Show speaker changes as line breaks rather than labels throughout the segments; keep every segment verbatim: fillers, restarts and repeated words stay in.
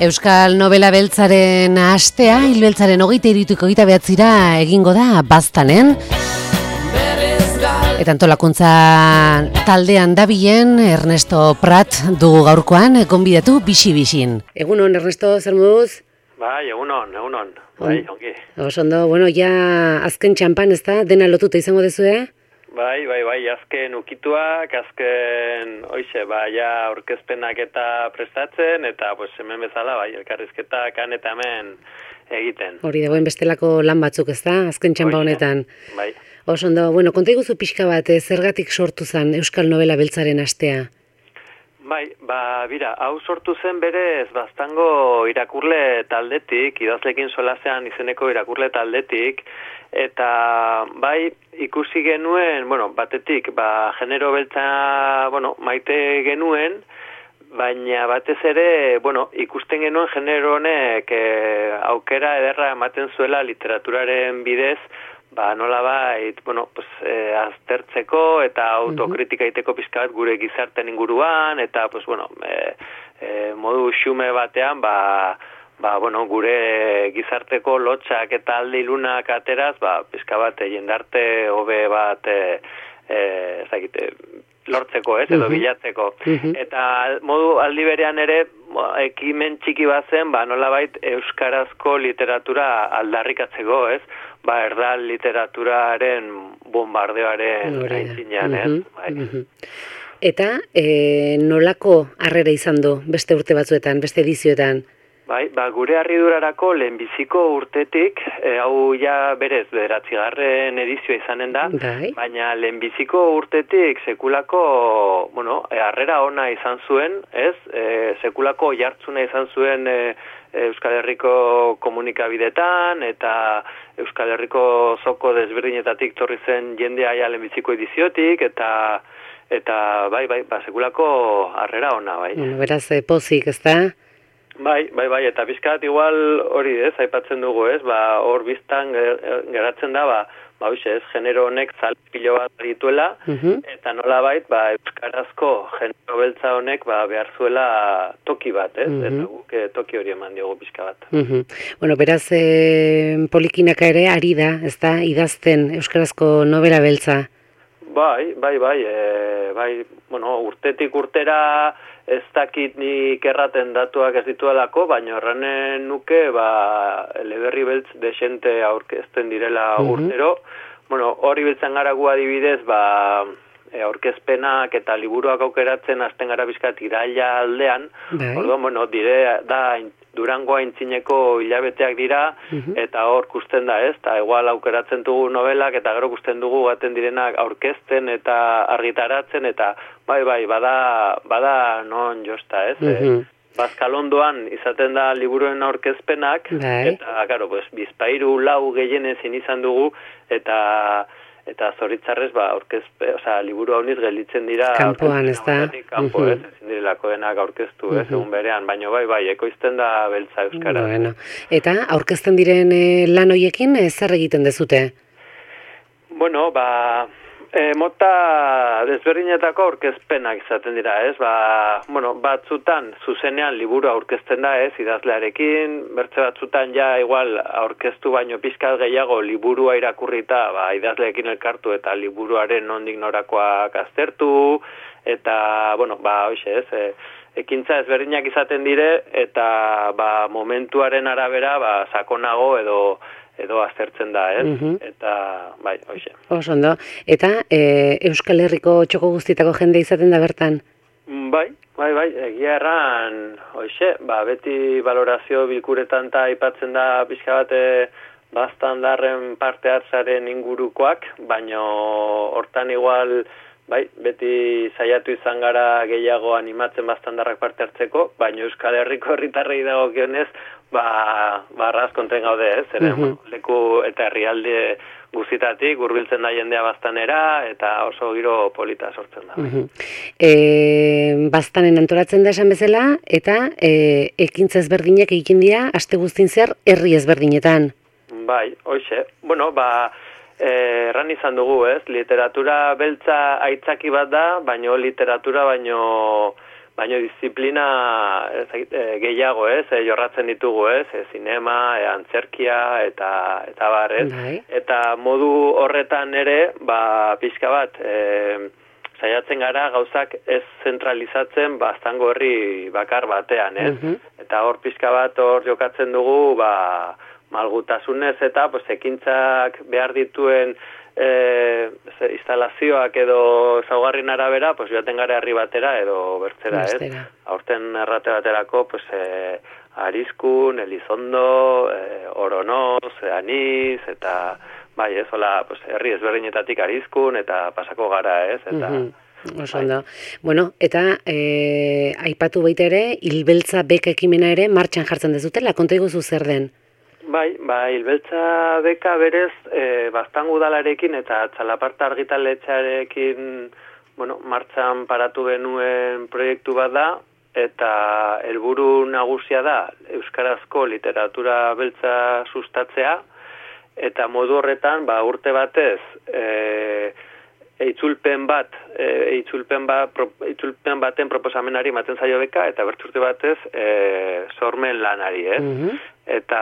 Euskal Nobela Beltzaren astea, hil beltzaren hogeita hirutik hogeita bederatzira egingo da Baztanen. Eta antolakuntza taldean dabilen Ernesto Prat dugu gaurkoan, gonbidatu bixi-bixin. Egunon, Ernesto, zer moduz?
Bai, egunon, egunon. Bai, ongi.
Oso ondo, bueno, ja azken txampan, ez da? Dena lotuta izango dezue?
Bai, bai, bai, azken ukituak, azken, oixe, bai, ja aurkezpenak eta prestatzen, eta pues, hemen bezala, bai, elkarrizketak han eta hemen egiten.
Hori dagoen bestelako lan batzuk, ez da? Azken txampa honetan.
Bai.
Oso ondo, bueno, konta iguzu pixka bat, zergatik sortu zen Euskal Nobela Beltzaren astea?
Bai, ba, bira, hau sortu zen berez Baztango irakurle taldetik, idazlekin solasean izeneko irakurle taldetik, eta bai, ikusi genuen, bueno, batetik, ba, genero beltza, bueno, maite genuen, baina batez ere, bueno, ikusten genuen genero honek e, aukera ederra ematen zuela literaturaren bidez, ba, nola bait, bueno, pues, e, aztertzeko eta autokritika egiteko pizka bat gure gizarten inguruan, eta, pues, bueno, e, e, modu xume batean, ba, ba, bueno, gure gizarteko lotxak eta alde ilunak ateraz, ba, pizka bat, jendarte hobe bat, e, e, ezagite, lortzeko, ez, edo uh-huh. bilatzeko. Uh-huh. Eta modu aldi berean ere, ekimen txiki bat zen, ba, nolabait euskarazko literatura aldarrikatzeko, ez? Ba, erdal literaturaren bombardeoaren aitzinean, ez?
Uh-huh. Bai. Uh-huh. Eta e, nolako harrera izan du beste urte batzuetan, beste edizioetan?
Bai, ba, gure harridurarako lehenbiziko urtetik, e, hau ja berez bederatzigarren edizioa izanen da,
bai.
Baina lehenbiziko urtetik sekulako, bueno, e, harrera ona izan zuen, ez? E, sekulako jartzuna izan zuen e, Euskal Herriko komunikabidetan, eta Euskal Herriko zoko desberdinetatik torri zen jendea ja lehenbiziko ediziotik, eta eta bai, bai, ba, sekulako harrera ona, bai.
Bueno, beraz, e, pozik, ez da?
Bai, bai, bai, eta bizkat igual hori ez, aipatzen dugu ez, ba, hor biztan geratzen da, ba, ba, hoxe ez, genero honek zalpilo bat dituela, uh-huh. eta nola bait, ba, euskarazko genero beltza honek, ba, behar zuela toki bat, ez, uh-huh. eta guk toki hori eman diogu bizka bat.
Uh-huh. Bueno, beraz, e, polikinaka ere ari da, ez da, idazten euskarazko nobela beltza?
Bai, bai, bai, e, bai, bueno, urtetik urtera, ez dakit nik erraten datuak ez dituelako, baina erranen nuke, ba, eleberri beltz desente aurkezten direla uh-huh. urtero. Bueno, hori biltzen gara gu adibidez, ba, e, aurkezpenak eta liburuak aukeratzen hasten gara bizkat iraila aldean.
Bai.
Orduan, bueno, dire, da, Durango aintzineko hilabeteak dira, uh-huh. eta hor kusten da, ez? Eta igual aukeratzen dugu novelak, eta gero kusten dugu gaten direnak aurkezten eta argitaratzen, eta bai, bai, bada, bada non josta, ez? Uh-huh. E, Bazkalondoan izaten da liburuen aurkezpenak,
bai.
Eta, karo, pues, bizpairu lau gehienezin izan dugu, eta eta zoritzarrez, ba, aurkezpe, osea, liburu hauniz gelditzen dira
kanpoan, ez da?
Kanpo, uh-huh. ez, ezin direlako denak aurkeztu, uh-huh. ez, egun berean, baina bai, bai, ekoizten da beltza euskara.
Bueno. Eta, aurkezten diren eh, lan hoiekin, eh, zer egiten dezute?
Bueno, ba, e, mota desberdinetako aurkezpenak izaten dira, ez, ba, bueno, batzutan, zuzenean liburu aurkezten da, ez, idazlearekin, bertze batzutan ja, igual, aurkeztu baino pizkat gehiago liburua irakurrita, ba, idazleekin elkartu eta liburuaren nondik norakoak aztertu, eta, bueno, ba, hoxe, ez, e, ekintza ezberdinak izaten dire, eta, ba, momentuaren arabera, ba, sakonago edo, edo aztertzen da, ez? Uh-huh. Eta, bai, hoxe.
Oso ondo. Eta e, Euskal Herriko txoko guztietako jende izaten da bertan?
Bai, bai, bai, egia erran, hoxe, ba, beti valorazio bilkuretan eta aipatzen da pixka bat Baztandarren parte hartzaren ingurukoak, baino hortan igual, bai, beti saiatu izan gara gehiago animatzen Baztandarrak parte hartzeko, baino Euskal Herriko herritarrei dagokionez, ba, barraz konten gaude, ez? Ere, uh-huh. leku eta herrialde guztitatik hurbiltzen da jendea Baztanera, eta oso giro polita sortzen da.
Uh-huh. E, Baztanen antolatzen da esan bezala, eta e, ekintza ezberdinak egiten dira, aste guztin zehar, herri ezberdinetan.
Bai, hoxe. Bueno, ba, erran izan dugu, ez? Literatura beltza aitzaki bat da, baino literatura baino baino disiplina ez, e, gehiago, ez, e, jorratzen ditugu, ez, e, zinema, e, antzerkia, eta eta bar, ez,
bai.
eta modu horretan ere, ba, pixka bat, e, saiatzen gara gauzak ez zentralizatzen baztango herri bakar batean, ez?
Mhm.
Eta hor pixka bat hor jokatzen dugu, ba, malgutasunez eta pues, ekintzak behar dituen e, ze, instalazioak edo zaugarrin arabera, pues, joaten gara herri batera edo bertzera, ez? Aurten errate baterako, pues, e, Arizkun, Elizondo, e, Oronoz, Aniz, eta bai, ez, hola, pues, herri ezberdinetatik Arizkun, eta pasako gara, ez? Eta,
mm-hmm. Oso ondo. Bueno, eta e, aipatu baita ere, Hilbeltza beka ekimena ere martxan jartzen dezutela, konta iguzu zer den?
Bai, ba, Hilbeltza beka berez, e, Baztango udalarekin eta Txalaparta argitaletxearekin, bueno, martxan paratu genuen proiektu bat da, eta helburu nagusia da euskarazko literatura beltza sustatzea, eta modu horretan, ba, urte batez, e, itzulpen bat, e, itzulpen, bat, pro, itzulpen baten proposamenari ematen zaio beka, eta bertzurte batez, e, sormen lanari, ez?
Mm-hmm.
Eta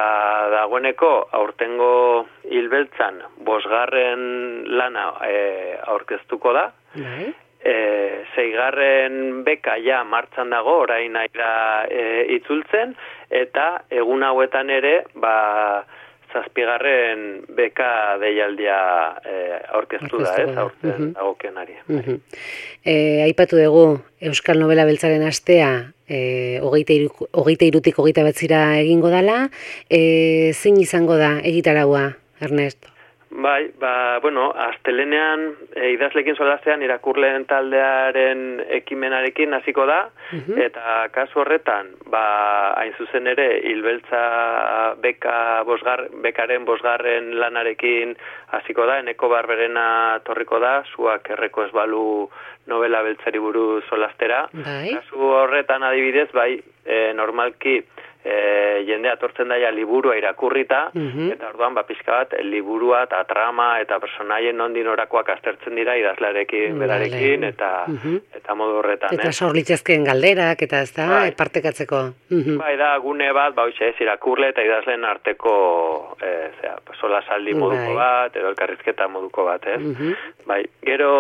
dagoeneko aurtengo Hilbeltzan bosgarren lana e, aurkeztuko da.
Bai.
E, zeigarren beka ja martxan dago, orain aira e, itzultzen, eta egun hauetan ere, ba, zazpigarren beka deialdia e, aurkeztu da, ez, aurten mm-hmm. dagokionari.
Mm-hmm. E, aipatu dugu, Euskal Nobela Beltzaren astea, e, hogeita irutik hogeita betzira egingo dala, e, zein izango da egitaraua, Ernest?
Bai, ba, bueno, astelenean e, idazlekin solasean irakurleen taldearen ekimenarekin hasiko da, uh-huh. eta kasu horretan, ba, hain zuzen ere, Hilbeltza beka bosgar, bekaren bosgarren lanarekin hasiko da, Eneko Barberena torriko da, zuak erreko ez balu novela beltzari buruz solastera.
Bai.
Kasu horretan adibidez, bai, e, normalki, E, jendea atortzen daia liburua irakurrita, mm-hmm. eta orduan, ba, pixka bat, liburua eta trama eta personaien nondin orakoak aztertzen dira idazlarekin, berarekin, eta, mm-hmm. eta modu horretan.
Eta sorlitzezkeen galderak, eta ez da, bai. partekatzeko. Mm-hmm.
Bai, da, gune bat, ba, hoxe ez, irakurle eta idazleen arteko, e, zera, sola saldi moduko bai. bat, edo elkarrizketa moduko bat, ez? Mm-hmm. Bai, gero,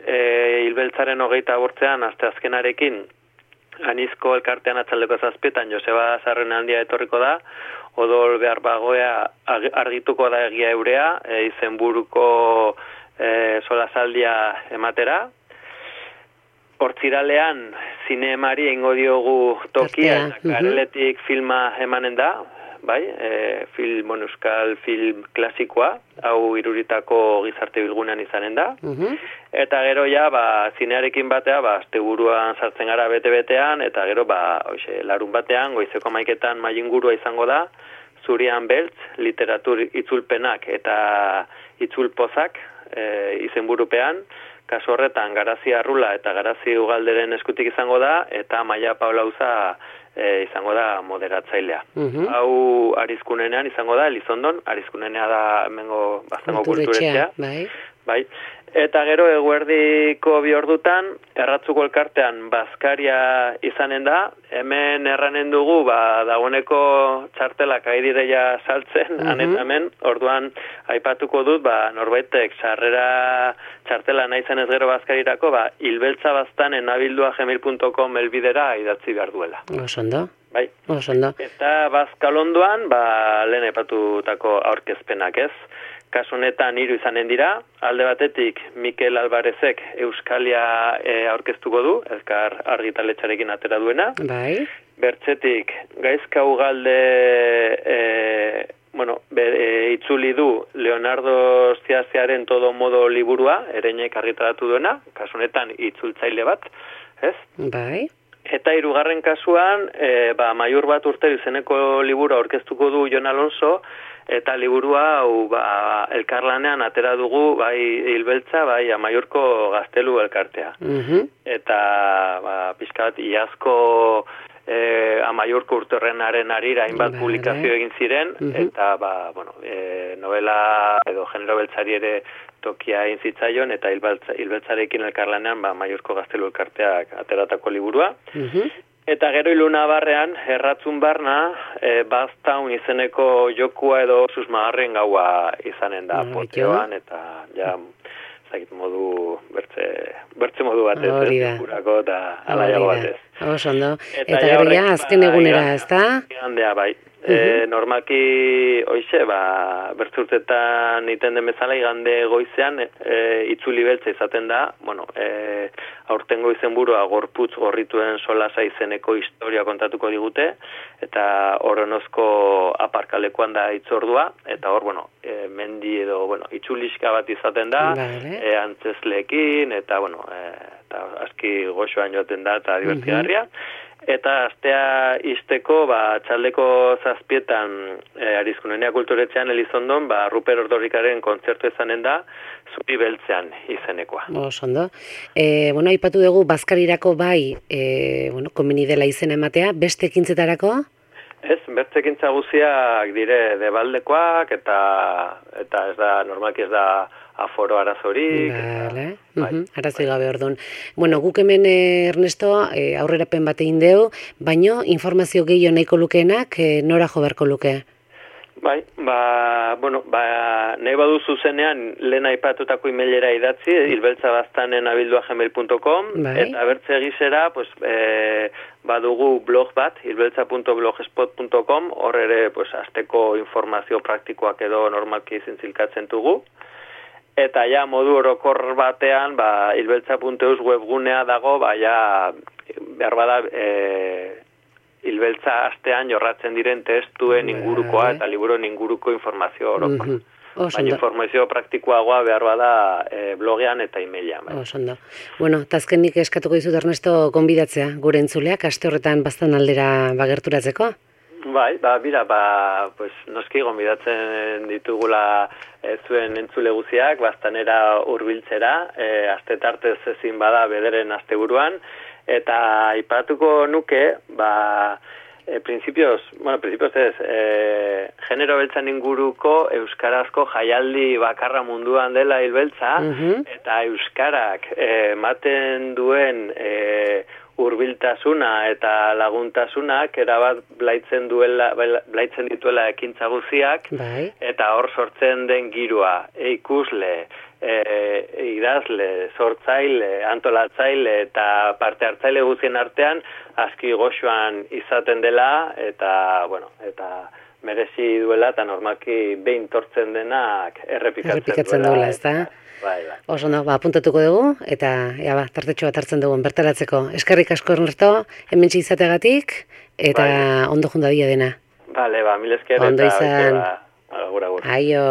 e, Hilbeltzaren hogeita bortzean, aste azkenarekin, Anizko elkartean atzaldeko zazpietan Joseba Zarren handia etorriko da, odol behar bagoea argituko da egia eurea, e, izenburuko e, solasaldia ematera. Hortziralean zinemari eingo diogu tokia, eta kareletik uh-huh. filma emanen da, bai, e, film, bueno, euskal film klasikoa, hau iruritako gizarte bilgunean izanen da. Uh-huh. Eta gero ja, ba, zinearekin batea, ba, asteburuan sartzen gara bete-betean, eta gero, ba, hoxe, larun batean, goizeko maiketan mailingurua izango da, Zurian Beltz, literatur itzulpenak eta itzulpozak e, izenburupean, kasu horretan Garazi Arrula eta Garazi Ugalderen eskutik izango da, eta Maia Paulauza e, izango da moderatzailea. Uh-huh. Hau Arizkunenean izango da, Elizondon, Arizkunenea da hemengo Baztango kulturetxea. Bai. Bai. Eta gero eguerdiko bi ordutan, erratzuko elkartean bazkaria izanen da, hemen erranen dugu, ba, dagoeneko txartelak aidireia saltzen, uh-huh. anetamen, orduan aipatuko dut, ba, norbaitek sarrera txartela nahi zen ez gero bazkarirako, ba, hilbeltzabaztanen abildua gmail punto com elbidera idatzi behar duela.
Osondo.
Bai.
Osondo.
Eta bazkalondoan, ba, lehen aipatutako aurkezpenak ez. Kasu honetan hiru izanen dira, alde batetik Mikel Alvarezek Euskalia e, aurkeztuko du, Elkar argitaletxarekin atera duena.
Bai.
Bertzetik Gaizka Ugalde e, bueno, be, e, itzuli du Leonardo Stiaziaren Todo Modo liburua, Ereinek argitaratu duena, kasu honetan itzultzaile bat, ez?
Bai.
Eta hirugarren kasuan, e, ba, Maiur bat urte izeneko liburu aurkeztuko du Jon Alonso, eta liburua hau ba, elkarlanean atera dugu bai Hilbeltza, bai Amaiurko Gaztelu elkartea. Uh-huh. Eta ba, pixkat iazko e, Amaiurko urterrenaren arira hainbat
Vale.
publikazio egin ziren,
Mhm.
eta ba, bueno, e, novela edo genero beltzari ere tokia egin zitzaion, eta hilbaltza, hilbeltzarekin elkarlanean ba, Amaiurko Gaztelu elkarteak ateratako liburua.
Mhm.
Eta gero iluna barrean, erratzun barna, e, Baztaun izeneko jokua edo susmagarren gaua izanen da,
Ah,
poteoan, eta ja, zait modu, bertze, bertze modu batez,
Hori da.
ez, jurako eta alaiago
Hori da.
batez.
Oso ondo.
Eta
Eta
ja
gero
horrek,
ja, azken
ba,
egunera,
igandea,
ez da?
Igandea, bai. E, normalki, hoize, ba, bertzurtetan iten den bezala, igande goizean, e, itzuli beltza izaten da, bueno, e, aurtengo izenburua gorputz gorrituen solasa izeneko historia kontatuko digute, eta horrenozko aparkalekuan da itzordua, eta hor, bueno, e, mendi edo, bueno, itzuliska bat izaten da,
Vale.
e, antzesleekin, eta, bueno, e, eta aski goxoan joaten da, eta divertigarria. Eta astea izteko, ba, txaldeko zazpietan e, Arizkunenea kulturetzean Elizondon, ba, Ruper Ordorikaren kontzertu izanen da, Zuri beltzean izenekoa.
Oso ondo. E, bueno, aipatu dugu bazkarirako bai, e, bueno, komeni dela izena ematea, beste ekintzetarako?
Ez, bertzekintza guziak dire debaldekoak, eta eta ez da, normalki ez da aforo arazorik.
Vale.
Eta, bai,
Mhm, Arazoi gabe orduan. Bueno, guk hemen eh, Ernesto eh, aurrerapen bat egin deu, baino informazio gehiago nahiko lukeenak eh, nora jo beharko luke?
Bai, ba, bueno, ba, nahi badu zuzenean lehen aipatutako emailera idatzi, hilbeltzabaztanen abildua gmail punto com,
Bai.
eta bertze gisera, pues, e, badugu blog bat, hilbeltza punto blogspot punto com, hor ere, pues, azteko informazio praktikoak edo normalki zintzilkatzen dugu. Eta ja, modu orokor batean, ba, hilbeltza punto eus webgunea dago, ba, ja, behar bada, e, hilbeltza astean jorratzen diren testuen ingurukoa eta liburuen inguruko informazio orokor.
Mhm. Oso
Baina
ondo.
informazio praktikoagoa behar bada e, blogean eta emailean. Bai.
Oso ondo. Bueno, eta azkenik eskatuko dizut Ernesto gonbidatzea gure entzuleak aste horretan baztan aldera bagerturatzeko.
Bai, ba, bira, ba, pues, noski gonbidatzen ditugula e, zuen entzule guziak, baztanera hurbiltzera, e, aste tartez ezin bada bederen asteburuan, eta aipatuko nuke, ba, e, principios, bueno, principios ez, e, genero beltzan inguruko euskarazko jaialdi bakarra munduan dela hilbeltza,
Mhm.
eta euskarak e, ematen duen e, hurbiltasuna eta laguntasunak erabat blaitzen duela blaitzen dituela ekintza guziak,
Bai.
eta hor sortzen den giroa, e, ikusle, e, idazle, sortzaile, antolatzaile eta parte hartzaile guzien artean aski goxoan izaten dela, eta bueno, eta merezi duela eta normalki behin tortzen denak errepikatzen,
Errepikatzen
duela.
duela, ezta?
Bai, bai.
Oso ondo, ba, apuntatuko dugu, eta ea ba, tartetxo bat hartzen dugun bertaratzeko. Eskerrik asko Ernesto, hementsi izategatik, eta
Bai.
ondo jundadia dena.
Vale, ba, mil esker
Ondo
eta
izan.
ba, agur, agur.
Aio.